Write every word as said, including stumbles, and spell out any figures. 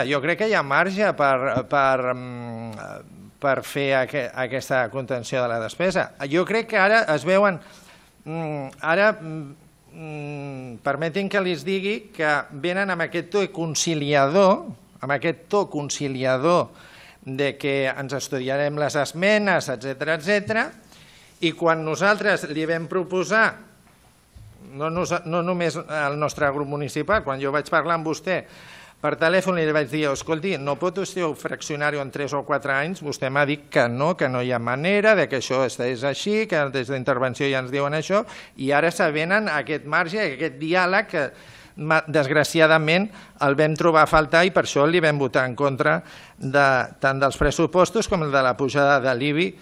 Jo crec que hi ha marge per, per, per fer aqu aquesta contenció de la despesa. Jo crec que ara es veuen... Ara, permetin que els digui que venen amb aquest to conciliador, amb aquest to conciliador de que ens estudiarem les esmenes, etcètera, etcètera, i quan nosaltres li vam proposar, no, no, no només al nostre grup municipal, quan jo vaig parlar amb vostè per telèfon li vaig dir, escolti, no pot vostè fraccionar-ho en tres o quatre anys? Vostè m'ha dit que no, que no hi ha manera, que això és així, que des d'intervenció ja ens diuen això, i ara s'avenen aquest marge, aquest diàleg que desgraciadament el vam trobar a faltar i per això li vam votar en contra tant dels pressupostos com de la pujada de l'I B I